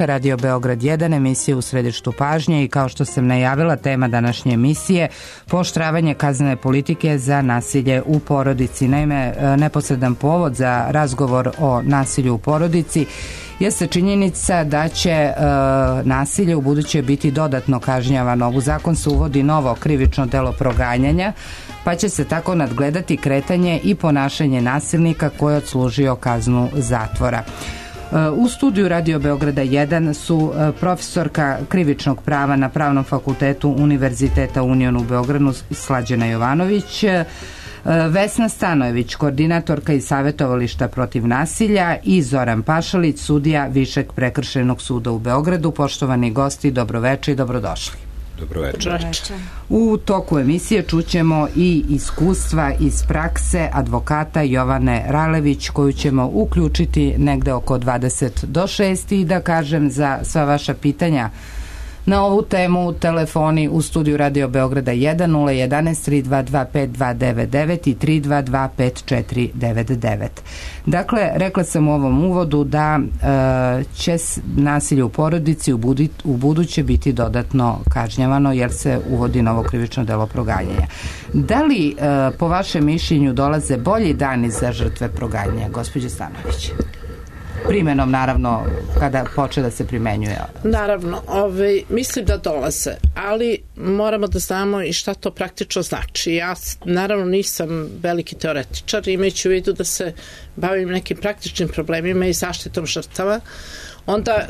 Radio Beograd 1, emisija u središtu pažnje i kao što sam najavila, tema današnje emisije pooštravanje kaznene politike za nasilje u porodici. Naime, neposredan povod za razgovor o nasilju u porodici jeste činjenica da će nasilje u buduće biti dodatno kažnjavano. U zakon se uvodi novo krivično delo proganjanja, pa će se tako nadgledati kretanje i ponašanje nasilnika koji je odslužio kaznu zatvora. U studiju Radio Beograda 1 su profesorka krivičnog prava na Pravnom fakultetu Univerziteta Union u Beogradu Slađana Jovanović, Vesna Stanojević, koordinatorka iz Savetovališta protiv nasilja i Zoran Pašalić, sudija Višeg prekršajnog suda u Beogradu. Poštovani gosti, dobroveče i dobrodošli. Dobroveče. U toku emisije čućemo i iskustva iz prakse advokata Jovane Ralević, koju ćemo uključiti negde oko 20 do 6 i da kažem za sva vaša pitanja na ovu temu telefoni u studiju Radio Beograda 1 011 322 5299 i 322 5499. Dakle, rekla sam u ovom uvodu da će nasilje u porodici u buduće biti dodatno kažnjavano jer se uvodi novo krivično delo proganjanja. Da li po vašem mišljenju dolaze bolji dani za žrtve proganjanja, gospođo Stanović? Primenom, naravno, kada poče da se primenjuje. Naravno, mislim da dolaze, ali moramo da znamo i šta to praktično znači. Ja, naravno, nisam veliki teoretičar, imajući u vidu da se bavim nekim praktičnim problemima i zaštitom žrtava. Onda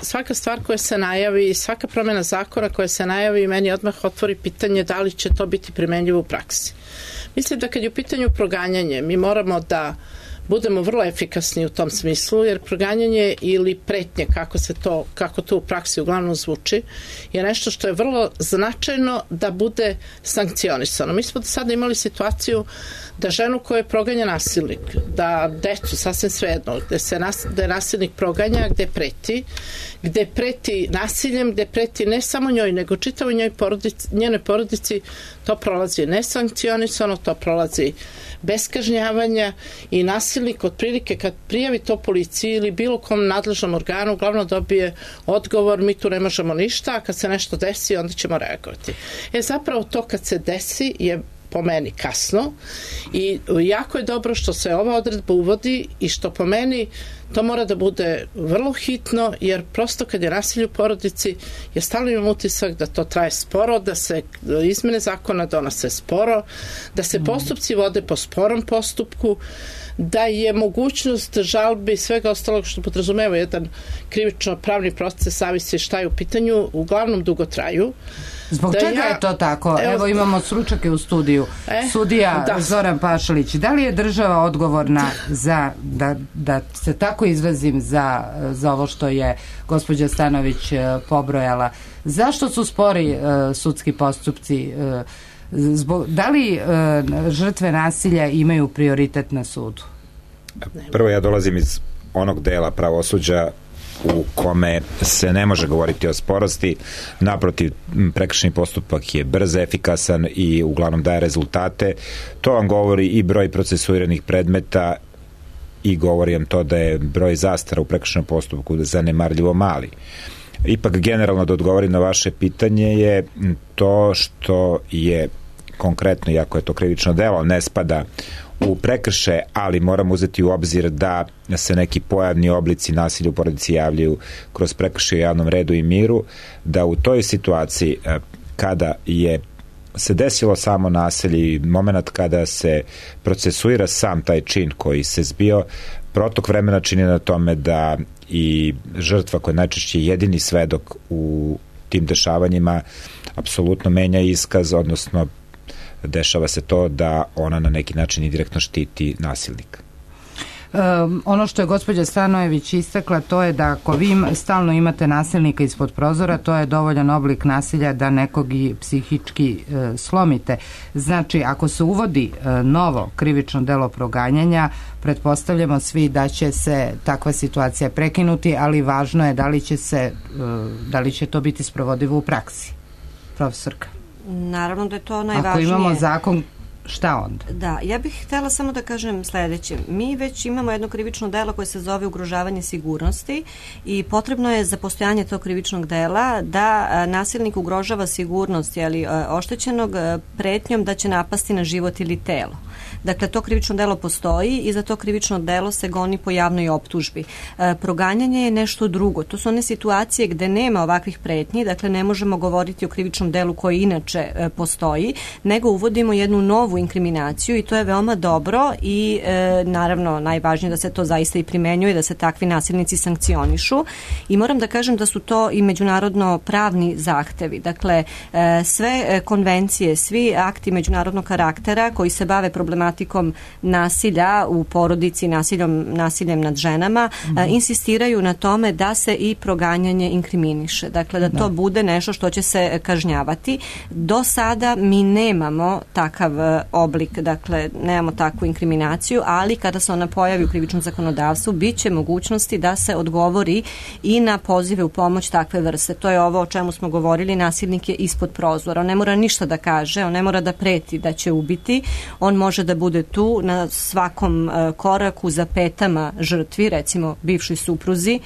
svaka stvar koja se najavi, svaka promjena zakona koja se najavi, meni odmah otvori pitanje da li će to biti primenljivo u praksi. Mislim da kad je u pitanju proganjanje, mi moramo da budemo vrlo efikasni u tom smislu, jer proganjanje ili pretnje, kako to u praksi uglavnom zvuči, je nešto što je vrlo značajno da bude sankcionisano. Mi smo do sada imali situaciju da ženu koja je proganja nasilnik, da decu, sasvim svejedno, gde je nasilnik proganja, gde preti nasiljem, gde preti ne samo njoj, nego čitavoj njenoj porodici, to prolazi nesankcionisano, to prolazi bez kažnjavanja i nasilnik otprilike kad prijavi to policiji ili bilo kom nadležnom organu uglavnom dobije odgovor, mi tu ne možemo ništa, a kad se nešto desi onda ćemo reagovati. Zapravo to kad se desi je po meni kasno i jako je dobro što se ova odredba uvodi i što po meni to mora da bude vrlo hitno, jer prosto kad je nasilje u porodici, ja stalno imam utisak da to traje sporo, da se izmene zakona donose sporo, da se postupci vode po sporom postupku, da je mogućnost žalbe i svega ostalog što podrazumeva jedan krivično-pravni proces, zavisi šta je u pitanju, uglavnom dugo traju. Zbog čega je to tako? Evo imamo stručnjake u studiju. Sudija Zoran Pašalić, da li je država odgovorna za, da se tako izrazim, za ovo što je gospođa Stanović pobrojala? Zašto su spori sudski postupci? Da li žrtve nasilja imaju prioritet na sudu? Prvo, ja dolazim iz onog dela pravosuđa u kome se ne može govoriti o sporosti. Naprotiv, prekršajni postupak je brz, efikasan i uglavnom daje rezultate. To vam govori i broj procesuiranih predmeta i govori vam to da je broj zastara u prekršajnom postupku zanemarljivo mali. Ipak, generalno, da odgovorim na vaše pitanje, je to što je konkretno, iako je to krivično delo, ne spada u prekršaje, ali moramo uzeti u obzir da se neki pojavni oblici nasilja u porodici javljaju kroz prekršaje u javnom redu i miru, da u toj situaciji kada je se desilo samo nasilje i moment kada se procesuira sam taj čin koji se zbio, protok vremena čini na tome da i žrtva koja je najčešće jedini svedok u tim dešavanjima apsolutno menja iskaz, odnosno dešava se to da ona na neki način indirektno štiti nasilnika. Ono što je gospođa Stanojević istakla, to je da ako vi stalno imate nasilnika ispod prozora, to je dovoljan oblik nasilja da nekog i psihički slomite. Znači, ako se uvodi novo krivično delo proganjanja, pretpostavljamo svi da će se takva situacija prekinuti, ali važno je da li će to biti sprovodivo u praksi. Profesorka. Naravno da je to najvažnije. Ako imamo zakon šta onda? Da, ja bih htjela samo da kažem sledeće. Mi već imamo jedno krivično delo koje se zove ugrožavanje sigurnosti i potrebno je za postojanje tog krivičnog dela da nasilnik ugrožava sigurnost oštećenog pretnjom da će napasti na život ili telo. Dakle, to krivično delo postoji i za to krivično delo se goni po javnoj optužbi. Proganjanje je nešto drugo. To su one situacije gde nema ovakvih pretnji, dakle ne možemo govoriti o krivičnom delu koji inače postoji, nego uvodimo jednu novu inkriminaciju i to je veoma dobro i naravno najvažnije da se to zaista i primenjuje, da se takvi nasilnici sankcionišu i moram da kažem da su to i međunarodno pravni zahtevi. Dakle, sve konvencije, svi akti međunarodnog karaktera koji se bave problematikom nasilja u porodici, nasiljem nad ženama, insistiraju na tome da se i proganjanje inkriminiše. Dakle, da to bude nešto što će se kažnjavati. Do sada mi nemamo takav oblik, dakle, nemamo takvu inkriminaciju, ali kada se ona pojavi u krivičnom zakonodavstvu, bit će mogućnosti da se odgovori i na pozive u pomoć takve vrste. To je ovo o čemu smo govorili, nasilnik je ispod prozora. On ne mora ništa da kaže, on ne mora da preti da će ubiti, on može da bude tu na svakom koraku za petama žrtvi, recimo bivšoj supruzi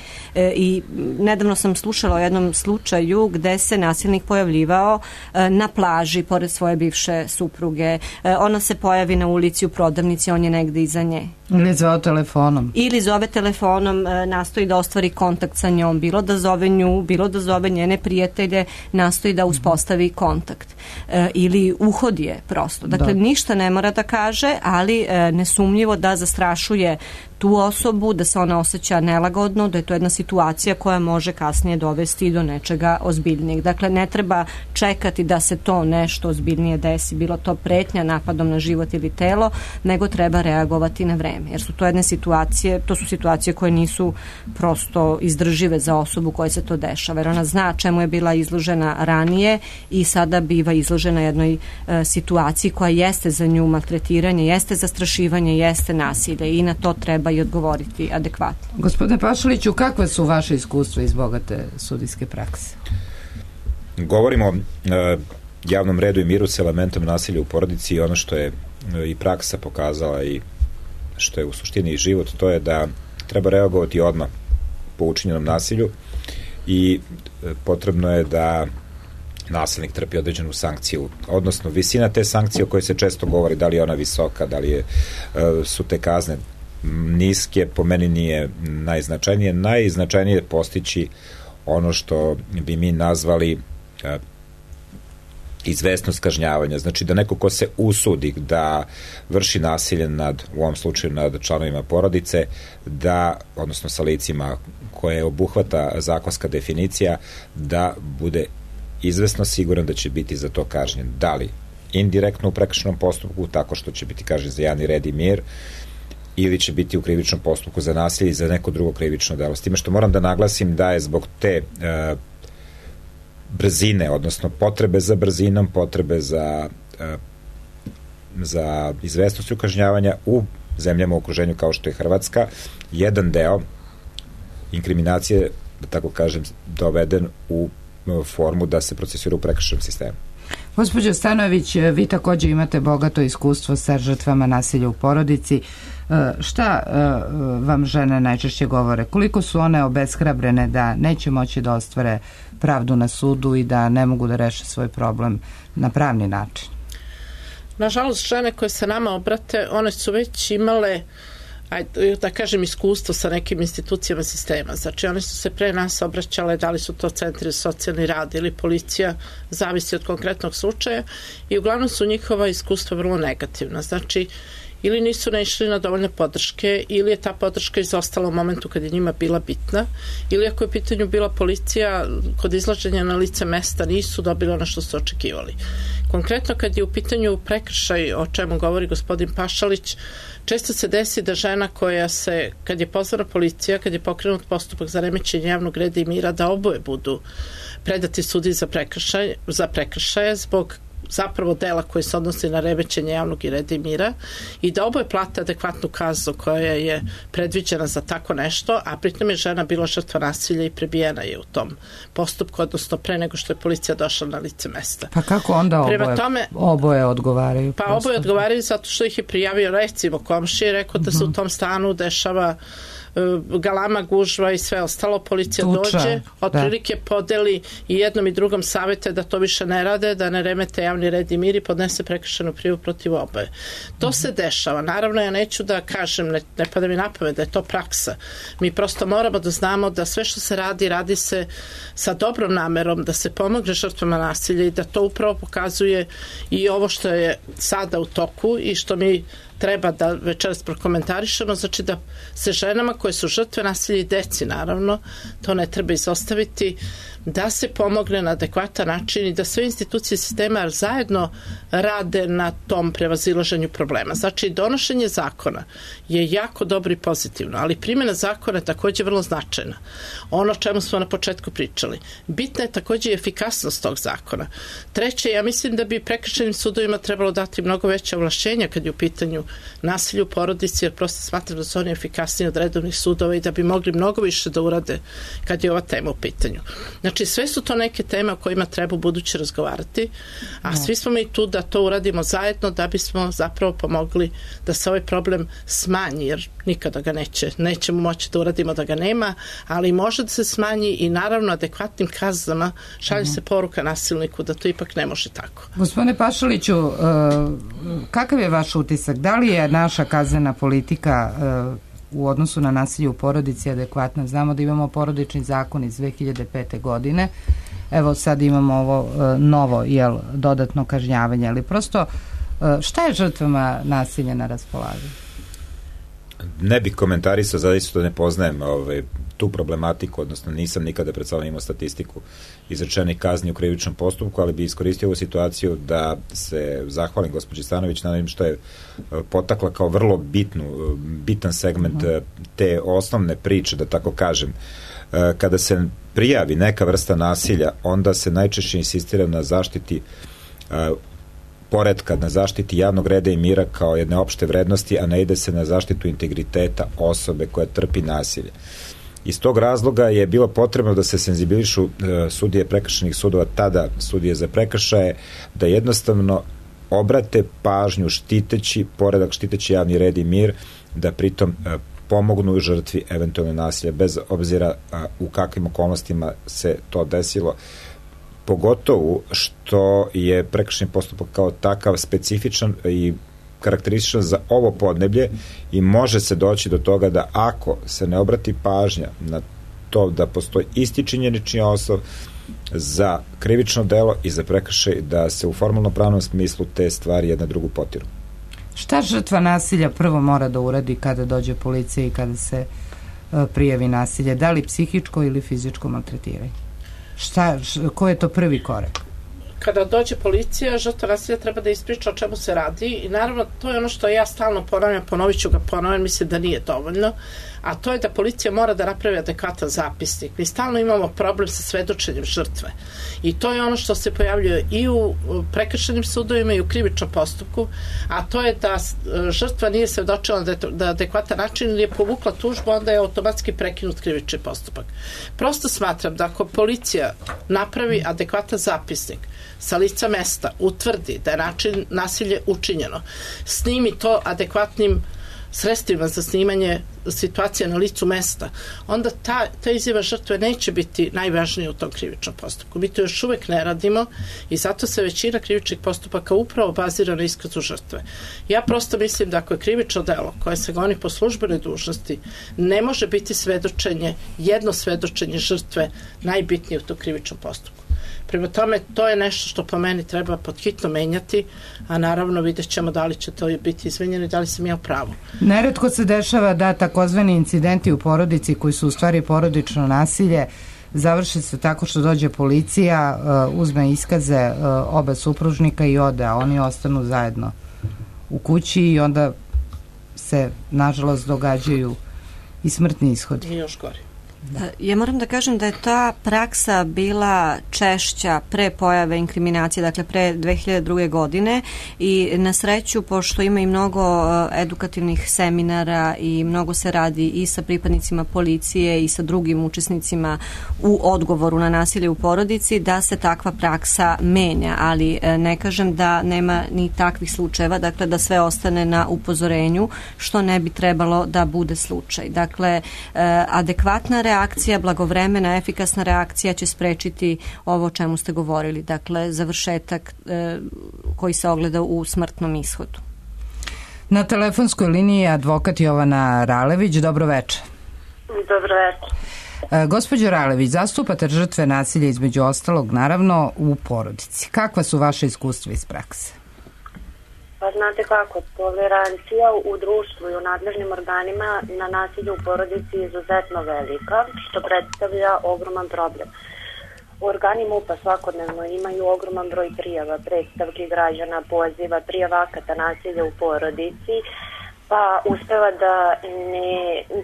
i nedavno sam slušala o jednom slučaju gde se nasilnik pojavljivao na plaži pored svoje bivše supruge. Ona se pojavi na ulici u prodavnici, on je negde iza nje. Ili zove telefonom. Ili zove telefonom, nastoji da ostvari kontakt sa njom, bilo da zove nju, bilo da zove njene prijatelje, nastoji da uspostavi kontakt. Ili uhodi je prosto. Dakle, ništa ne mora da kaže, ali nesumnjivo da zastrašuje tu osobu, da se ona osjeća nelagodno, da je to jedna situacija koja može kasnije dovesti do nečega ozbiljnijeg. Dakle, ne treba čekati da se to nešto ozbiljnije desi, bilo to pretnja napadom na život ili telo, nego treba reagovati na vreme. Jer su to jedne situacije, to su situacije koje nisu prosto izdržive za osobu koja se to dešava. Jer ona zna čemu je bila izložena ranije i sada biva izložena jednoj situaciji koja jeste za nju maltretiranje, jeste zastrašivanje, jeste nasilje i na to treba i odgovoriti adekvatno. Gospodine Pašaliću, kakve su vaše iskustva iz bogate sudijske prakse? Govorimo o javnom redu i miru s elementom nasilja u porodici i ono što je i praksa pokazala i što je u suštini i život, to je da treba reagovati odmah po učinjenom nasilju i potrebno je da nasilnik trpi određenu sankciju, odnosno visina te sankcije o kojoj se često govori, da li je ona visoka, da li su te kazne niske, po meni nije najznačajnije. Najznačajnije je postići ono što bi mi nazvali izvesnost kažnjavanja. Znači da neko ko se usudi da vrši nasilje u ovom slučaju nad članovima porodice, odnosno sa licima koje obuhvata zakonska definicija, da bude izvesno siguran da će biti za to kažnjen. Da li indirektno u prekršajnom postupku, tako što će biti kažnjen za javni red i mir, ili će biti u krivičnom postupku za nasilje i za neko drugo krivično delo. S time što moram da naglasim da je zbog te brzine, odnosno potrebe za brzinom, potrebe za izvestnošću kažnjavanja u zemljama u okruženju kao što je Hrvatska, jedan deo inkriminacije, da tako kažem, doveden u formu da se procesira u prekršajnom sistemu. Gospođo Stanojević, vi također imate bogato iskustvo sa žrtvama nasilja u porodici. Šta vam žene najčešće govore? Koliko su one obeshrabrene da neće moći da ostvare pravdu na sudu i da ne mogu da reše svoj problem na pravni način? Nažalost, žene koje se nama obrate, one su već imale, da kažem, iskustvo sa nekim institucijama sistema. Znači, one su se pre nas obraćale, da li su to centri za socijalni rad ili policija, zavisi od konkretnog slučaja, i uglavnom su njihova iskustva vrlo negativna. Znači, ili nisu naišli na dovoljne podrške, ili je ta podrška izostala u momentu kad je njima bila bitna, ili ako je u pitanju bila policija, kod izlaženja na lice mesta nisu dobili ono što su očekivali. Konkretno, kad je u pitanju prekršaj, o čemu govori gospodin Pašalić, često se desi da žena koja se, kad je pozvana policija, kad je pokrenut postupak za remećenje javnog reda i mira, da oboje budu predati sudi za prekršaje zbog zapravo dela koje se odnosi na remećenje javnog reda i mira i da oboje plate adekvatnu kaznu koja je predviđena za tako nešto, a pritom je žena bila žrtva nasilja i prebijena je u tom postupku, odnosno pre nego što je policija došla na lice mesta. Pa kako onda oboje odgovaraju? Pa oboje odgovaraju zato što ih je prijavio recimo komšija i rekao da se u tom stanu dešava galama, gužva i sve ostalo, policija dođe, otprilike podeli i jednom i drugom savete da to više ne rade, da ne remete javni red i mir i podnese prekršajnu prijavu protiv oboje. To se dešava. Naravno, ja neću da kažem, ne pada mi na pamet da je to praksa. Mi prosto moramo da znamo da sve što se radi, radi se sa dobrom namerom, da se pomogne žrtvama nasilja i da to upravo pokazuje i ovo što je sada u toku i što mi treba da večeras prokomentarišemo, znači da se ženama koje su žrtve nasilja i deci, naravno, to ne treba izostaviti, da se pomogne na adekvatan način i da sve institucije sistema zajedno rade na tom prevazilaženju problema. Znači, donošenje zakona je jako dobro i pozitivno, ali primjena zakona je takođe vrlo značajna. Ono o čemu smo na početku pričali. Bitna je takođe i efikasnost tog zakona. Treće, ja mislim da bi prekršajnim sudovima trebalo dati mnogo veće ovlašćenja kad je u pitanju nasilja u porodici, jer prosto smatram da su oni efikasniji od redovnih sudova i da bi mogli mnogo više da urade kad je ova tema u pitanju. Znači, sve su to neke teme o kojima treba u buduće razgovarati, a svi smo mi tu da to uradimo zajedno da bismo zapravo pomogli da se ovaj problem smanji, jer nikada ga nećemo moći da uradimo da ga nema, ali može da se smanji i naravno adekvatnim kaznama šalje se poruka nasilniku da to ipak ne može tako. Gospodine Pašaliću, kakav je vaš utisak? Da li je naša kaznena politika u odnosu na nasilje u porodici adekvatna? Znamo da imamo porodični zakon iz 2005. godine. Evo sad imamo ovo novo, dodatno kažnjavanje, ali prosto šta je žrtvama nasilja na raspolaganju? Ne bih komentarisao, zaista da ne poznajem tu problematiku, odnosno nisam nikada pred sobom imao statistiku izrečenih kazni u krivičnom postupku, ali bi iskoristio ovu situaciju da se zahvalim gospođi Stanović na onim što je potakla kao vrlo bitan segment te osnovne priče, da tako kažem. Kada se prijavi neka vrsta nasilja, onda se najčešće insistira na zaštiti poretka, na zaštiti javnog reda i mira kao jedne opšte vrednosti, a ne ide se na zaštitu integriteta osobe koja trpi nasilje. Iz tog razloga je bilo potrebno da se senzibilišu sudije prekršajnih sudova, tada sudije za prekršaje, da jednostavno obrate pažnju štiteći poredak, štiteći javni red i mir, da pritom pomognu žrtvi eventualno nasilja, bez obzira u kakvim okolnostima se to desilo. Pogotovo što je prekršajni postupak kao takav specifičan i karakterističan za ovo podneblje i može se doći do toga da ako se ne obrati pažnja na to da postoji isti činjenični osnov za krivično delo i za prekršaj, da se u formalno-pravnom smislu te stvari jedna drugu potiru. Šta žrtva nasilja prvo mora da uradi kada dođe policija i kada se prijavi nasilje? Da li psihičko ili fizičko maltretiranje? Ko je to prvi korak? Kada dođe policija, žrtva nasilja treba da ispriča o čemu se radi i naravno to je ono što ja stalno ponavljam, ponovit ću ga ponovno, mislim da nije dovoljno, a to je da policija mora da napravi adekvatan zapisnik. Mi stalno imamo problem sa svedočenjem žrtve i to je ono što se pojavljuje i u prekršajnim sudovima i u krivičnom postupku, a to je da žrtva nije svedočila na adekvatan način ili je povukla tužbu, onda je automatski prekinut krivični postupak. Prosto smatram da ako policija napravi adekvatan zapisnik sa lica mesta, utvrdi da je način nasilje učinjeno, snimi to adekvatnim sredstvima za snimanje situacije na licu mesta, onda ta izjava žrtve neće biti najvažnija u tom krivičnom postupku. Mi to još uvek ne radimo i zato se većina krivičnih postupaka upravo bazira na iskazu žrtve. Ja prosto mislim da ako je krivično delo koje se goni po službenoj dužnosti, ne može biti jedno svedočenje žrtve najbitnije u tom krivičnom postupku. Prema tome, to je nešto što po meni treba podhitno menjati, a naravno vidjet ćemo da li će to biti izmenjeno i da li sam ja u pravu. Neretko se dešava da takozvani incidenti u porodici koji su u stvari porodično nasilje završe se tako što dođe policija, uzme iskaze oba supružnika i ode, a oni ostanu zajedno u kući i onda se nažalost događaju i smrtni ishodi. I još gori. Ja moram da kažem da je ta praksa bila češća pre pojave inkriminacije, dakle pre 2002. godine i na sreću, pošto ima i mnogo edukativnih seminara i mnogo se radi i sa pripadnicima policije i sa drugim učesnicima u odgovoru na nasilje u porodici, da se takva praksa menja, ali ne kažem da nema ni takvih slučajeva, dakle da sve ostane na upozorenju, što ne bi trebalo da bude slučaj. Dakle, adekvatna reakcija, blagovremena, efikasna reakcija će sprečiti ovo o čemu ste govorili, dakle završetak koji se ogleda u smrtnom ishodu. Na telefonskoj liniji je advokat Jovana Ralević. Dobro večer. Dobro večer. Gospođo Ralević, zastupate žrtve nasilja između ostalog, naravno, u porodici. Kakva su vaše iskustva iz prakse? Pa znate kako, tolerancija u društvu i u nadležnim organima na nasilje u porodici je izuzetno velika, što predstavlja ogroman problem. Organi MUP-a svakodnevno imaju ogroman broj prijava, predstavki građana, poziva, prijava akata nasilja u porodici,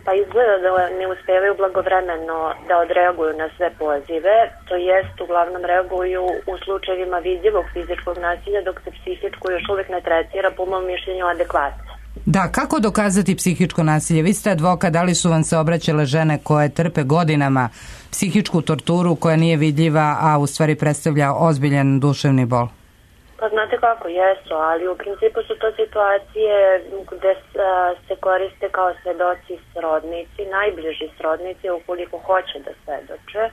pa izgleda da ne uspevaju blagovremeno da odreaguju na sve pozive, to jest uglavnom reaguju u slučajevima vidljivog fizičkog nasilja, dok se psihičko još uvijek ne tretira po mom mišljenju adekvatno. Da, kako dokazati psihičko nasilje? Vi ste advokat, da li su vam se obraćale žene koje trpe godinama psihičku torturu koja nije vidljiva, a u stvari predstavlja ozbiljan duševni bol? Pa znate kako, jesu, ali u principu su to situacije gde se koriste kao svedoci srodnici, najbliži srodnici ukoliko hoće da svedoče,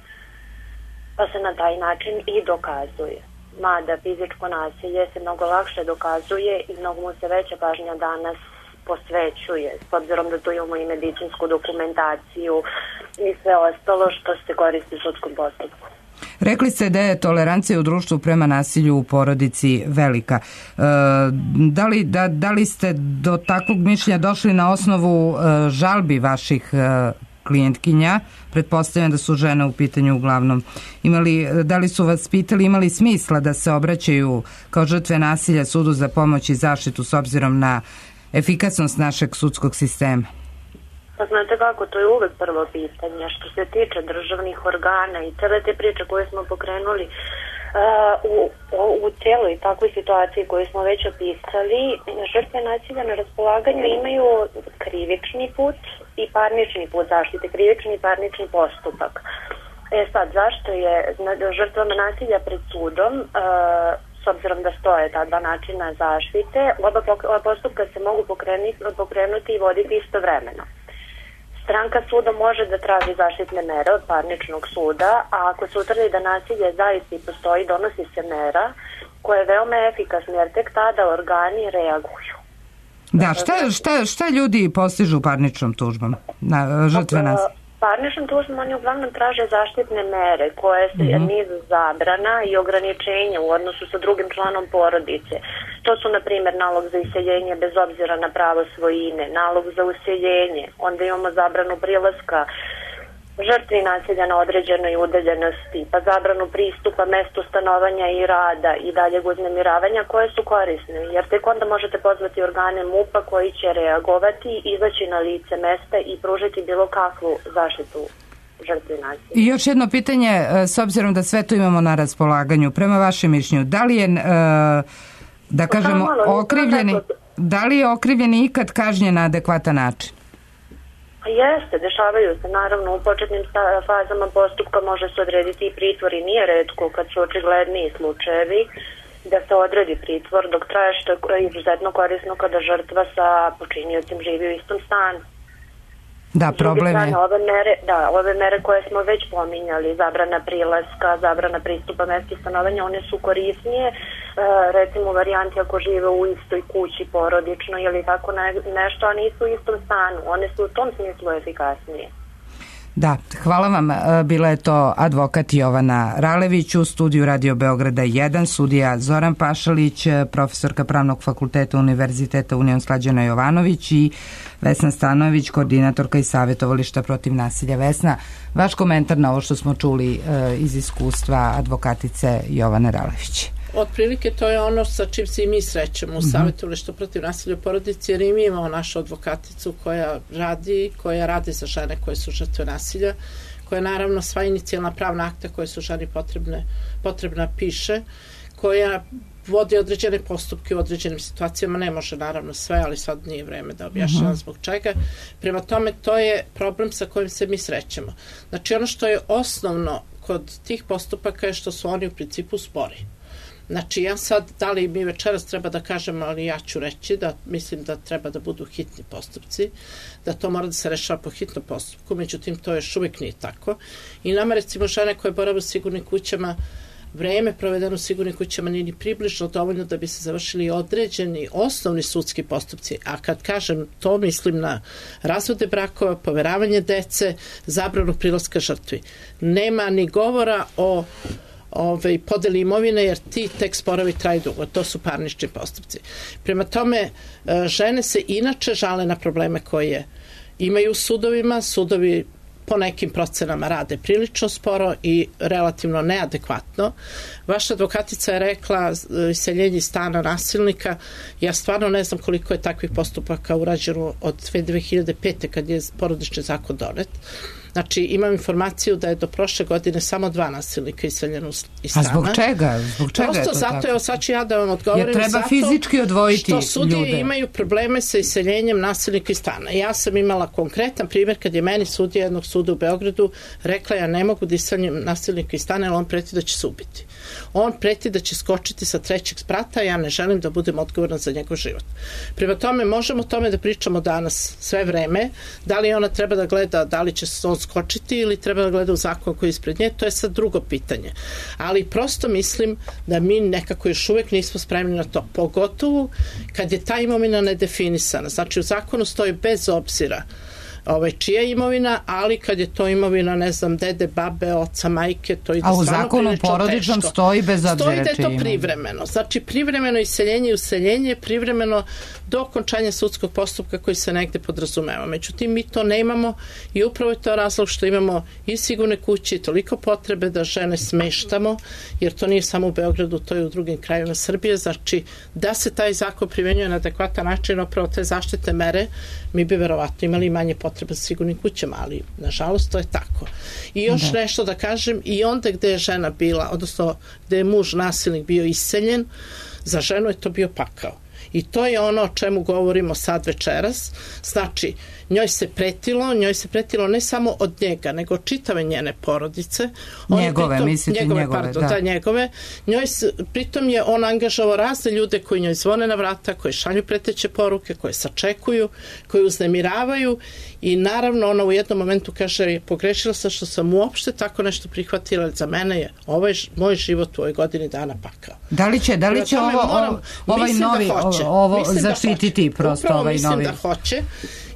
pa se na taj način i dokazuje. Mada fizičko nasilje se mnogo lakše dokazuje i mnogo mu se veća pažnja danas posvećuje, s obzirom da tu imamo i medicinsku dokumentaciju i sve ostalo što se koristi u sudskom postupku. Rekli ste da je tolerancija u društvu prema nasilju u porodici velika. Da li ste do takvog mišljenja došli na osnovu žalbi vaših klijentkinja? Pretpostavljam da su žene u pitanju uglavnom. Da li su vas pitali, imali smisla da se obraćaju kao žrtve nasilja sudu za pomoć i zaštitu s obzirom na efikasnost našeg sudskog sistema? Pa znate kako, to je uvek prvo pitanje. Što se tiče državnih organa i cele te priče koje smo pokrenuli u cijeloj takvoj situaciji koju smo već opisali, žrtve nasilja na raspolaganju imaju krivični put i parnični put zaštite, krivični i parnični postupak. Sad, zašto je žrtvama nasilja pred sudom, s obzirom da stoje ta dva načina zaštite, oba postupka se mogu pokrenuti i voditi istovremeno. Stranka suda može da traži zaštitne mere od parničnog suda, a ako se utvrdi da nasilje zaista i postoji, donosi se mera koja je veoma efikasna, jer tek tada organi reaguju. Da, šta ljudi postižu parničnom tužbom na žrtve nasilja? Parničnom tužbom oni uglavnom traže zaštitne mere koje su niz zabrana i ograničenja u odnosu sa drugim članom porodice. To su, na primjer, nalog za iseljenje bez obzira na pravo svojine, nalog za useljenje, onda imamo zabranu prilaska žrtvi nasilja na određenoj udaljenosti, pa zabranu pristupa mestu stanovanja i rada i daljeg uznemiravanja koje su korisne, jer tek onda možete pozvati organe MUP-a koji će reagovati, izaći na lice mesta i pružiti bilo kakvu zaštitu žrtvi nasilja. I još jedno pitanje, s obzirom da sve to imamo na raspolaganju, prema vašem mišljenju, da li je, da kažemo, da li je okrivljeni ikad kažnjen na adekvatan način? Jeste, dešavaju se, naravno, u početnim fazama postupka može se odrediti i pritvor i nije retko kad su očigledniji slučajevi da se odredi pritvor dok traje, što je izuzetno korisno kada žrtva sa počiniocem živi u istom stanu. Da, problem je. Ove mere koje smo već pominjali, zabrana prilaska, zabrana pristupa mestu stanovanja, one su korisnije, recimo u varijanti ako žive u istoj kući porodično ili tako nešto, a nisu u istom stanu. One su u tom smislu efikasnije. Da, hvala vam. Bila je to advokat Jovana Ralević, u studiju Radio Beograda 1, sudija Zoran Pašalić, profesorka Pravnog fakulteta Univerziteta Union Slađana Jovanović i Vesna Stanojević, koordinatorka i savjetovališta protiv nasilja. Vesna, vaš komentar na ovo što smo čuli iz iskustva advokatice Jovane Ralević. Otprilike to je ono sa čim se i mi srećemo u savjetovalištu protiv nasilja u porodici, jer i mi imamo našu advokaticu koja radi za žene koje su žrtve nasilja, koja naravno sva inicijalna pravna akta koje su ženi potrebna piše, koja vodi određene postupke u određenim situacijama, ne može naravno sve, ali sad nije vreme da objašnjavam zbog čega. Prema tome, to je problem sa kojim se mi srećemo. Znači, ono što je osnovno kod tih postupaka je što su oni u principu spori. Znači, ja sad, da li mi večeras treba da kažem, ali ja ću reći da mislim da treba da budu hitni postupci, da to mora da se rešava po hitnom postupku, međutim, to još uvijek nije tako. I nama, recimo, žene koje borave u sigurnim kućama, vreme provedeno u sigurnim kućama nije ni približno dovoljno da bi se završili određeni osnovni sudski postupci. A kad kažem to, mislim na razvode brakova, poveravanje dece, zabranu prilaska žrtvi. Nema ni govora o podeli imovine, jer ti tek sporovi traju dugo. To su parnični postupci. Prema tome, žene se inače žale na probleme koje imaju u sudovima. Sudovi po nekim procenama rade prilično sporo i relativno neadekvatno. Vaša advokatica je rekla iseljenje stana nasilnika. Ja stvarno ne znam koliko je takvih postupaka urađeno od 2005. kad je porodični zakon donet. Znači, imam informaciju da je do prošle godine samo 2 nasilnika iseljeno iz stana. A zbog čega? Prosto zato, evo sad ću ja da vam odgovorim. Jer treba fizički odvojiti ljude. Što sudije imaju probleme sa iseljenjem nasilnika iz stana. Ja sam imala konkretan primjer kad je meni sudija jednog suda u Beogradu rekla ja ne mogu da iseljem nasilnika iz stana, jer on preti da će se ubiti. On preti da će skočiti sa 3. sprata, ja ne želim da budem odgovorna za njegov život. Prema tome, možemo o tome da pričamo danas sve vreme, da li ona treba da gleda, da li će se on skočiti ili treba da gleda u zakon koji je ispred nje, to je sad drugo pitanje. Ali prosto mislim da mi nekako još uvijek nismo spremni na to, pogotovo kad je ta imovina nedefinisana. Znači, u zakonu stoji bez obzira čija je imovina, ali kad je to imovina, ne znam, dede, babe, oca, majke, to ide stvarno prilično teško. A u zakonu porodičnom stoji bez obzira čija je imovina. Stoji da je to privremeno. Znači, privremeno iseljenje i useljenje, privremeno do okončanja sudskog postupka koji se negde podrazumeva. Međutim, mi to nemamo i upravo je to razlog što imamo i sigurne kuće i toliko potrebe da žene smeštamo, jer to nije samo u Beogradu, to je u drugim krajevima Srbije. Znači, da se taj zakon primenjuje na adekvatan način, upravo te zaštite mere, mi bi verovatno imali manje potrebe za sigurnim kućama, ali nažalost to je tako. I još nešto da kažem, i onda gde je žena bila, odnosno gde je muž nasilnik bio iseljen, za ženu je to bio pakao. I to je ono o čemu govorimo sad večeras. Znači, njoj se pretilo ne samo od njega, nego čitave njene porodice. Njegove, mislite njegove, da. Njegove. Pritom je on angažovao razne ljude koji njoj zvone na vrata, koji šalju preteće poruke, koje sačekuju, koji uznemiravaju i naravno ona u jednom momentu kaže pogrešila sam što sam uopšte tako nešto prihvatila, za mene je moj život u ovoj godini dana pakao. Da li će ovaj novi ovo zaštititi prosto ovaj novi? Mislim da hoće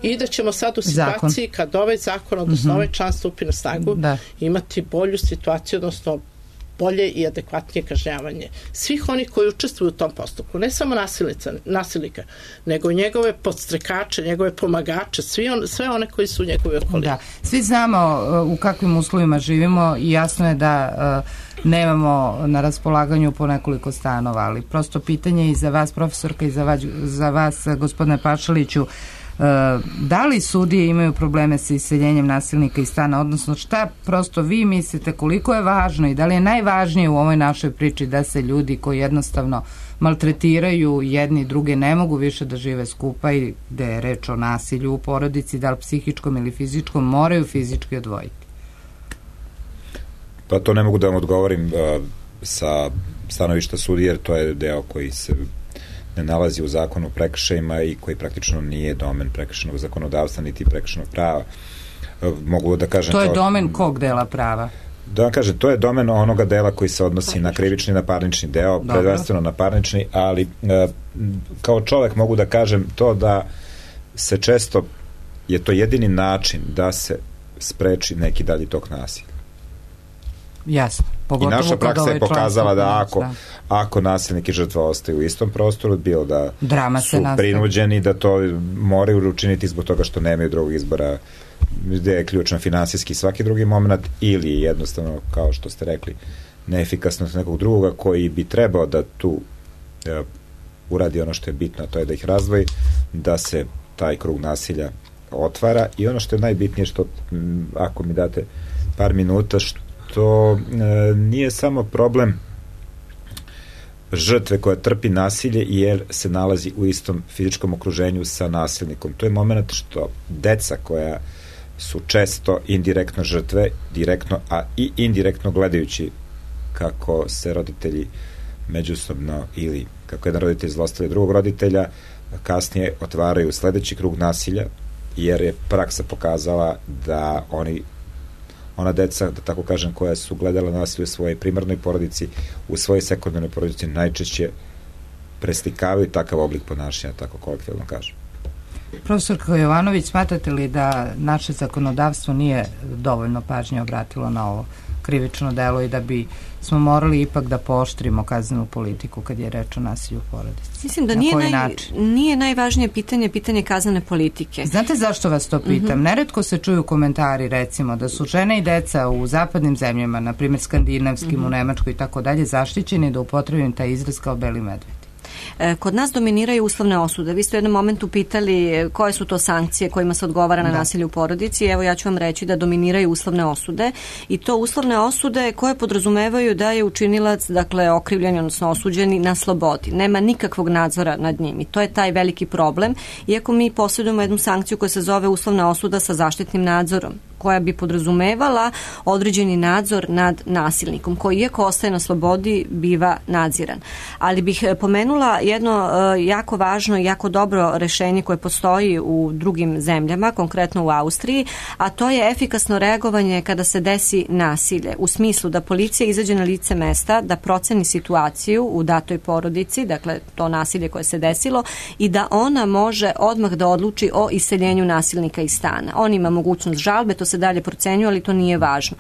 i da ćemo sad u situaciji kad ovaj zakon, odnosno ovaj član stupi na snagu, imati bolju situaciju, odnosno bolje i adekvatnije kažnjavanje svih onih koji učestvuju u tom postupku, ne samo nasilnika, nego njegove podstrekače, njegove pomagače, sve one koji su u njegovoj okolini. Da, svi znamo u kakvim uslovima živimo i jasno je da nemamo na raspolaganju po nekoliko stanova, ali prosto pitanje i za vas, profesorka, i za vas, gospodine Pašaliću, da li sudije imaju probleme sa iseljenjem nasilnika iz stana, odnosno šta prosto vi mislite koliko je važno i da li je najvažnije u ovoj našoj priči da se ljudi koji jednostavno maltretiraju jedni druge ne mogu više da žive skupa i gde je reč o nasilju u porodici, da li psihičkom ili fizičkom, moraju fizički odvojiti? Pa to ne mogu da vam odgovorim sa stanovišta sudije, jer to je deo koji se ne nalazi u zakonu o prekršajima i koji praktično nije domen prekršajnog zakonodavstva niti prekršajnog prava. Mogu da kažem... To je domen kog dela prava? Da vam kažem, to je domen onoga dela koji se odnosi na krivični i na parnični deo, prvenstveno na parnični, ali kao čovek mogu da kažem to da se često je to jedini način da se spreči neki dalji tok nasilja. Jasno. I naša praksa je pokazala da ako nasilnik i žrtva ostaju u istom prostoru, bilo da su prinuđeni da to moraju učiniti zbog toga što nemaju drugog izbora, gde je ključno finansijski svaki drugi moment, ili jednostavno, kao što ste rekli, neefikasnost nekog drugoga koji bi trebao da tu uradi ono što je bitno, a to je da ih razdvoji, da se taj krug nasilja otvara. I ono što je najbitnije, što ako mi date par minuta, što nije samo problem žrtve koja trpi nasilje jer se nalazi u istom fizičkom okruženju sa nasilnikom. To je moment što deca koja su često indirektno žrtve, direktno, a i indirektno gledajući kako se roditelji međusobno ili kako jedan roditelj zlostavlja drugog roditelja, kasnije otvaraju sledeći krug nasilja, jer je praksa pokazala da ona deca, da tako kažem, koja su gledala nasilje u svojoj primarnoj porodici, u svojoj sekundarnoj porodici, najčešće preslikavaju takav oblik ponašanja, tako kolektivno kažem. Profesorka Jovanović, smatrate li da naše zakonodavstvo nije dovoljno pažnje obratilo na ovo krivično delo i da bi smo morali ipak da pooštrimo kaznenu politiku kad je reč o nasilju u porodici? Mislim da nije najvažnije pitanje kaznene politike. Znate zašto vas to pitam? Neretko se čuju komentari, recimo, da su žene i deca u zapadnim zemljama, na primjer skandinavskim, u Nemačkoj i tako dalje, zaštićeni, da upotrebim taj izraz, kao beli medvedi. Kod nas dominiraju uslovne osude. Vi ste u jednom momentu pitali koje su to sankcije kojima se odgovara na nasilje u porodici. Evo, ja ću vam reći da dominiraju uslovne osude, i to uslovne osude koje podrazumevaju da je učinilac, dakle okrivljeni, odnosno osuđeni, na slobodi. Nema nikakvog nadzora nad njim i to je taj veliki problem, iako mi posjedujemo jednu sankciju koja se zove uslovna osuda sa zaštitnim nadzorom, koja bi podrazumevala određeni nadzor nad nasilnikom, koji iako ostaje na slobodi biva nadziran. Ali bih pomenula jedno jako važno i jako dobro rešenje koje postoji u drugim zemljama, konkretno u Austriji, a to je efikasno reagovanje kada se desi nasilje, u smislu da policija izađe na lice mesta, da proceni situaciju u datoj porodici, dakle to nasilje koje se desilo, i da ona može odmah da odluči o iseljenju nasilnika iz stana. On ima mogućnost žalbe, to se dalje procenjuje, ali to nije važno.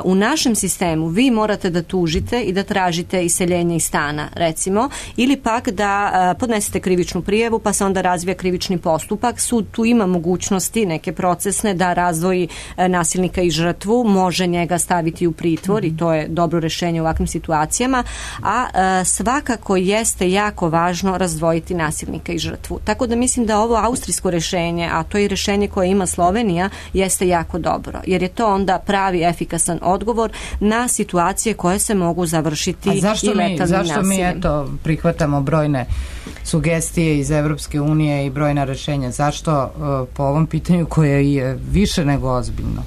U našem sistemu vi morate da tužite i da tražite iseljenje iz stana, recimo, ili pak da podnesete krivičnu prijavu, pa se onda razvija krivični postupak. Sud tu ima mogućnosti neke procesne da razdvoji nasilnika i žrtvu, može njega staviti u pritvor i to je dobro rešenje u ovakvim situacijama, a svakako jeste jako važno razdvojiti nasilnika i žrtvu. Tako da mislim da ovo austrijsko rešenje, a to je rešenje koje ima Slovenija, jeste jako dobro, jer je to onda pravi efikasan odgovor na situacije koje se mogu završiti i letalnim nasiljem. Zašto mi prihvatamo brojne sugestije iz Evropske unije i brojna rešenja? Zašto po ovom pitanju koje je više nego ozbiljno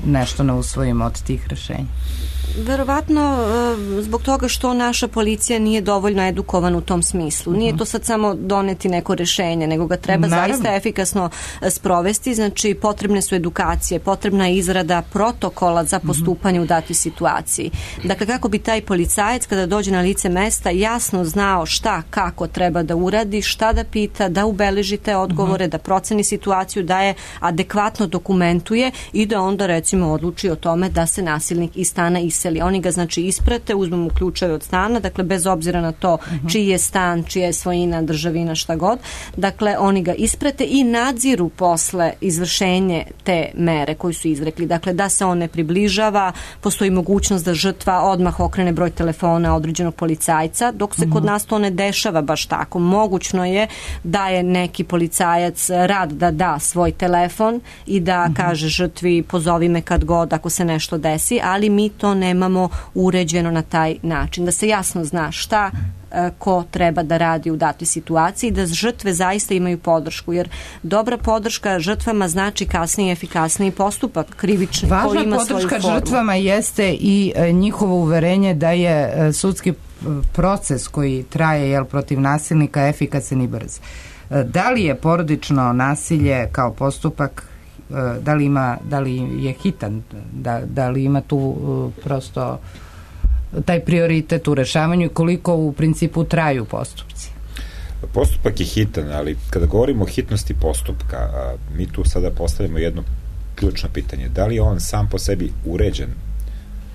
nešto ne usvojimo od tih rešenja? Verovatno zbog toga što naša policija nije dovoljno edukovana u tom smislu. Nije to sad samo doneti neko rešenje, nego ga treba zaista efikasno sprovesti. Znači, potrebne su edukacije, potrebna je izrada protokola za postupanje u datoj situaciji. Dakle, kako bi taj policajac kada dođe na lice mesta jasno znao šta, kako treba da uradi, šta da pita, da ubeleži te odgovore, da proceni situaciju, da je adekvatno dokumentuje i da onda recimo odluči o tome da se nasilnik iz stana iseli. Oni ga znači isprate, uzmu mu ključeve od stana, dakle bez obzira na to čiji je stan, čija je svojina, državina, šta god. Dakle, oni ga isprate i nadziru posle izvršenje te mere koju su izrekli. Dakle, da se on ne približava, postoji mogućnost da žrtva odmah okrene broj telefona određenog policajca, dok se kod nas to ne dešava baš tako. Mogućno je da je neki policajac rad da da svoj telefon i da kaže žrtvi pozovi me kad god ako se nešto desi, ali mi to nemamo uređeno na taj način. Da se jasno zna šta ko treba da radi u datoj situaciji, da žrtve zaista imaju podršku, jer dobra podrška žrtvama znači kasniji efikasniji postupak krivični koji ima svoju formu. Važna podrška žrtvama jeste i njihovo uverenje da je sudski proces koji traje protiv nasilnika efikasan i brz. Da li je porodično nasilje kao postupak, da li je hitan, da li ima tu prosto taj prioritet u rešavanju i koliko u principu traju postupci? Postupak je hitan, ali kada govorimo o hitnosti postupka, mi tu sada postavljamo jedno ključno pitanje. Da li je on sam po sebi uređen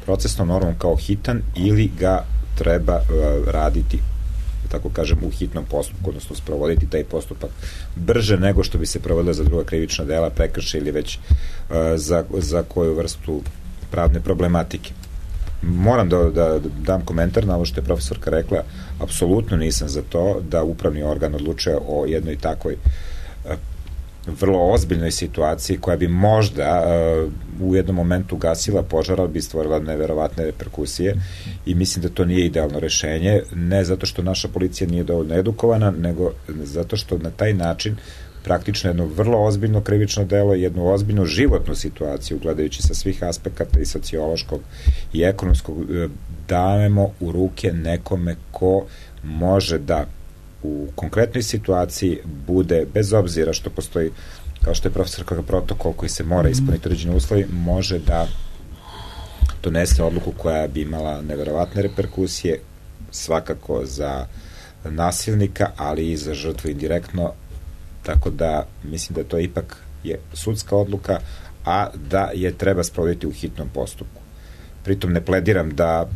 procesnom normom kao hitan ili ga treba raditi, tako kažem, u hitnom postupku, odnosno sprovoditi taj postupak brže nego što bi se provodilo za druga krivična dela, prekršaje ili već za koju vrstu pravne problematike. Moram da dam komentar na ovo što je profesorka rekla. Apsolutno nisam za to da upravni organ odlučuje o jednoj takvoj vrlo ozbiljnoj situaciji koja bi možda u jednom momentu gasila požar, ali bi stvorila neverovatne reperkusije i mislim da to nije idealno rešenje, ne zato što naša policija nije dovoljno edukovana, nego zato što na taj način praktično jedno vrlo ozbiljno krivično delo, jednu ozbiljnu životnu situaciju, gledajući sa svih aspekata i sociološkog i ekonomskog, dajemo u ruke nekome ko može da u konkretnoj situaciji bude, bez obzira što postoji, kao što je profesorka, protokol koji se mora ispuniti određeni uslovi, može da donese odluku koja bi imala neverovatne reperkusije, svakako za nasilnika, ali i za žrtvu indirektno, tako da mislim da to ipak je sudska odluka, a da je treba sprovoditi u hitnom postupku. Pritom ne plediram da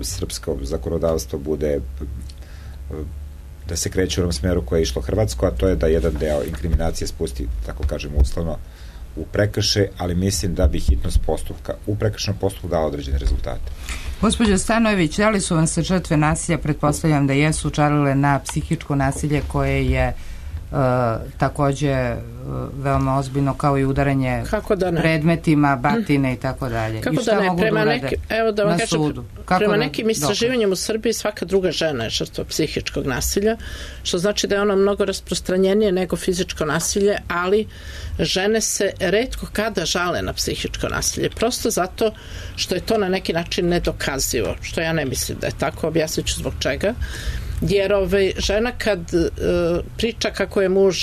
srpsko zakonodavstvo bude, da se kreće u onom smeru koje je išlo Hrvatsko, a to je da jedan deo inkriminacije spusti, tako kažemo uslovno, u prekršaj, ali mislim da bi hitnost postupka u prekršajnom postupku dala određene rezultate. Gospođo Stanojević, da li su vam se žrtve nasilja, pretpostavljam da jesu, čalile na psihičko nasilje koje je takođe veoma ozbiljno, kao i udaranje predmetima, batine i tako dalje. Kako I šta da ne? mogu da urade na sudu? Prema nekim istraživanjem u Srbiji svaka druga žena je žrtva psihičkog nasilja, što znači da je ono mnogo rasprostranjenije nego fizičko nasilje, ali žene se retko kada žale na psihičko nasilje, prosto zato što je to na neki način nedokazivo, što ja ne mislim da je tako, objasnit ću zbog čega. Jer žena kad priča kako je muž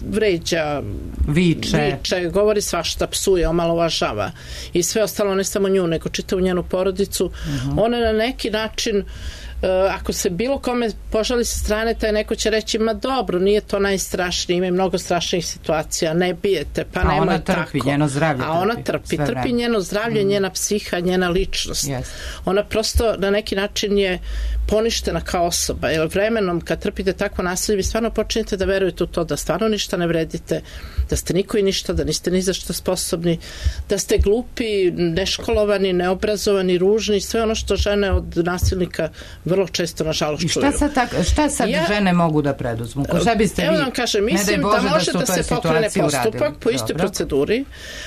vređa, viče, govori svašta, psuje, omalovažava i sve ostalo, ne samo nju, nego čitavu njenu porodicu, ona na neki način, ako se bilo kome požali sa strane, taj neko će reći, ma dobro, nije to najstrašnije, ima mnogo strašnih situacija, ne bijete, pa nemoj tako. A ona trpi, njeno zdravlje. A ona trpi njeno zdravlje, njena psiha, njena ličnost. Yes. Ona prosto na neki način je poništena kao osoba, jer vremenom kad trpite takvo nasilje, vi stvarno počinjete da verujete u to da stvarno ništa ne vredite, da ste niko i ništa, da niste ni za što sposobni, da ste glupi, neškolovani, neobrazovani, ružni, sve ono što žene od nasilnika vrlo često nažalost čuju. I šta sad žene mogu da preduzmu? Šta biste vi? Evo vam kažem, mislim da može da se pokrene postupak po istoj proceduri,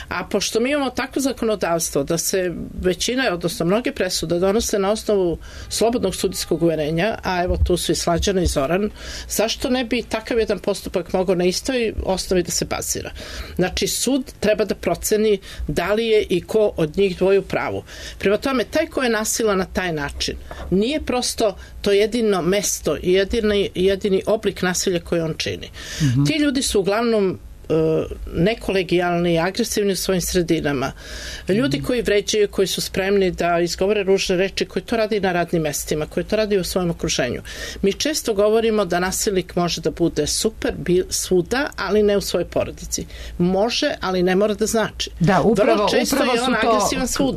a pošto mi imamo takvo zakonodavstvo da se većina, odnosno mnoge presude donose na osnovu slobodnog sudijskog uverenja, a evo tu su i Slađana i Zoran, zašto ne bi takav jedan postupak mogao na istoj osnovi da se bazira? Znači, sud treba da proceni da li je i ko od njih dvoje u pravu. Prema tome, taj ko je nasila na taj način, nije prosto to jedino mesto i jedini oblik nasilja koji on čini. Ti ljudi su uglavnom nekolegijalni i agresivni u svojim sredinama. Ljudi koji vređaju, koji su spremni da izgovore ružne reči, koji to radi na radnim mestima, koji to radi u svojem okruženju. Mi često govorimo da nasilnik može da bude super svuda, ali ne u svojoj porodici. Može, ali ne mora da znači. Da, upravo su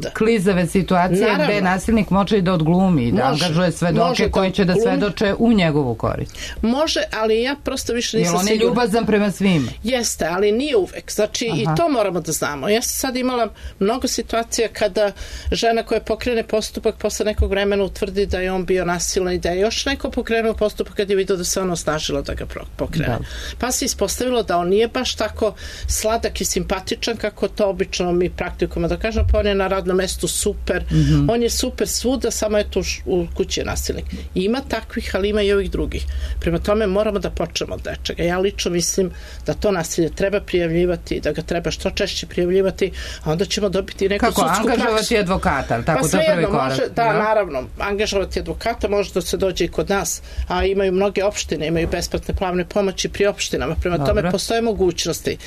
to klizave situacije gde nasilnik može i da odglumi, da angažuje svedoke koji će da svedoče u njegovu korist. Može, ali ja prosto više nisam sigurna. Jer on je ljubazan prema svima. Jeste, ali nije uvek. Znači, i to moramo da znamo. Ja sam sad imala mnogo situacija kada žena koja pokrene postupak posle nekog vremena utvrdi da je on bio nasilan i da je još neko pokrenuo postupak kad je vidio da se ono osnažilo da ga pokrene. Pa se ispostavilo da on nije baš tako sladak i simpatičan kako to obično mi praktikujemo da kažemo, pa on je na radnom mestu super, on je super svuda, samo je tu u kući je nasilnik. Ima takvih, ali ima i ovih drugih. Prema tome moramo da počnemo od nečega. Ja lično mislim da to nasilje treba prijavljivati, da ga treba što češće prijavljivati, a onda ćemo dobiti neku sudsku praksu. Kako, angažovati advokata, tako to prvi korak? Da, naravno, angažovati advokata može da se dođe i kod nas, a imaju mnoge opštine, imaju besplatne pravne pomoći pri opštinama, prema tome postoje mogućnosti.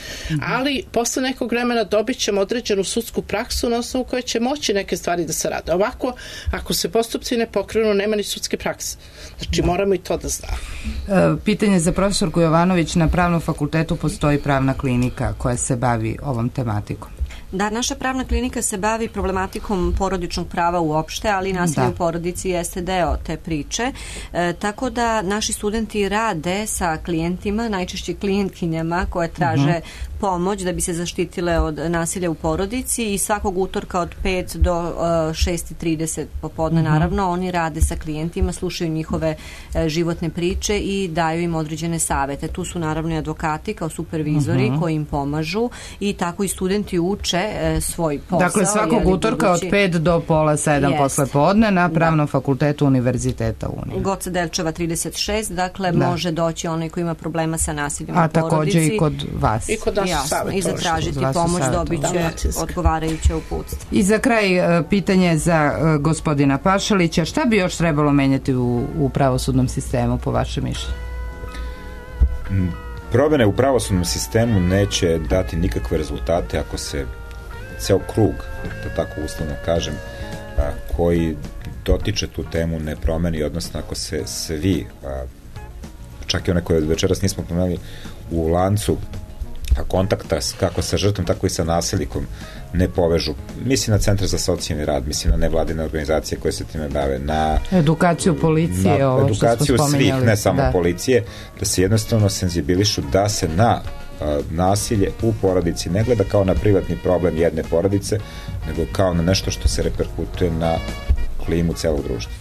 Ali posle nekog vremena dobit ćemo određenu sudsku praksu na osnovu koje će moći neke stvari da se rade. Ovako, ako se postupci ne pokrenu, nema ni sudske prakse. Znači, moramo i to da znamo. Pitanje za profesorku Jovanović, na Pravnom fakultetu postoji pravna klinika koja se bavi ovom tematikom. Da, naša pravna klinika se bavi problematikom porodičnog prava uopšte, ali nasilje u porodici jeste deo te priče. Tako da naši studenti rade sa klijentima, najčešće klijentkinjama koje traže pomoć da bi se zaštitile od nasilja u porodici i svakog utorka od 5 do 6:30 popodne naravno oni rade sa klijentima, slušaju njihove životne priče i daju im određene savete. Tu su naravno i advokati kao supervizori koji im pomažu i tako i studenti uče svoj posao. Dakle, svakog utorka od 5 do pola 7 posle podne na Pravnom fakultetu Univerziteta Union. Goce Delčeva 36, dakle može doći onaj koji ima problema sa nasiljem u porodici. A takođe i kod vas. I kod nas i zatražiti pomoć, dobit će odgovarajuće uputstvo. I za kraj pitanje za gospodina Pašalića, šta bi još trebalo menjati u pravosudnom sistemu po vašem mišljenju? Promene u pravosudnom sistemu neće dati nikakve rezultate ako se ceo krug, da tako uslovno kažem, koji dotiče tu temu ne promeni, odnosno ako se svi, čak i one koje večeras nismo pomenuli, u lancu kontakta kako sa žrtvom, tako i sa nasilnikom ne povežu. Mislim na Centar za socijalni rad, mislim na nevladine organizacije koje se time bave, na edukaciju policije, na edukaciju svih, ne samo policije, da se jednostavno senzibilišu da se na nasilje u porodici ne gleda kao na privatni problem jedne porodice, nego kao na nešto što se reperkutuje na klimu celog društva.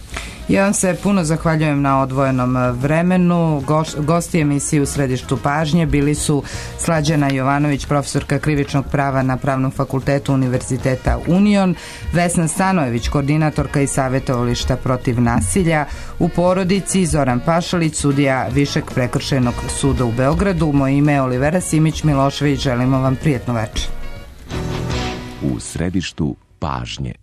Ja vam se puno zahvaljujem na odvojenom vremenu. Gosti emisije U središtu pažnje bili su Slađana Jovanović, profesorka krivičnog prava na Pravnom fakultetu Univerziteta Union, Vesna Stanojević, koordinatorka i savjetovališta protiv nasilja u porodici, Zoran Pašalić, sudija Višeg prekršajnog suda u Beogradu. Moje ime je Olivera Simić Milošević, želimo vam prijatnu večer. U središtu pažnje.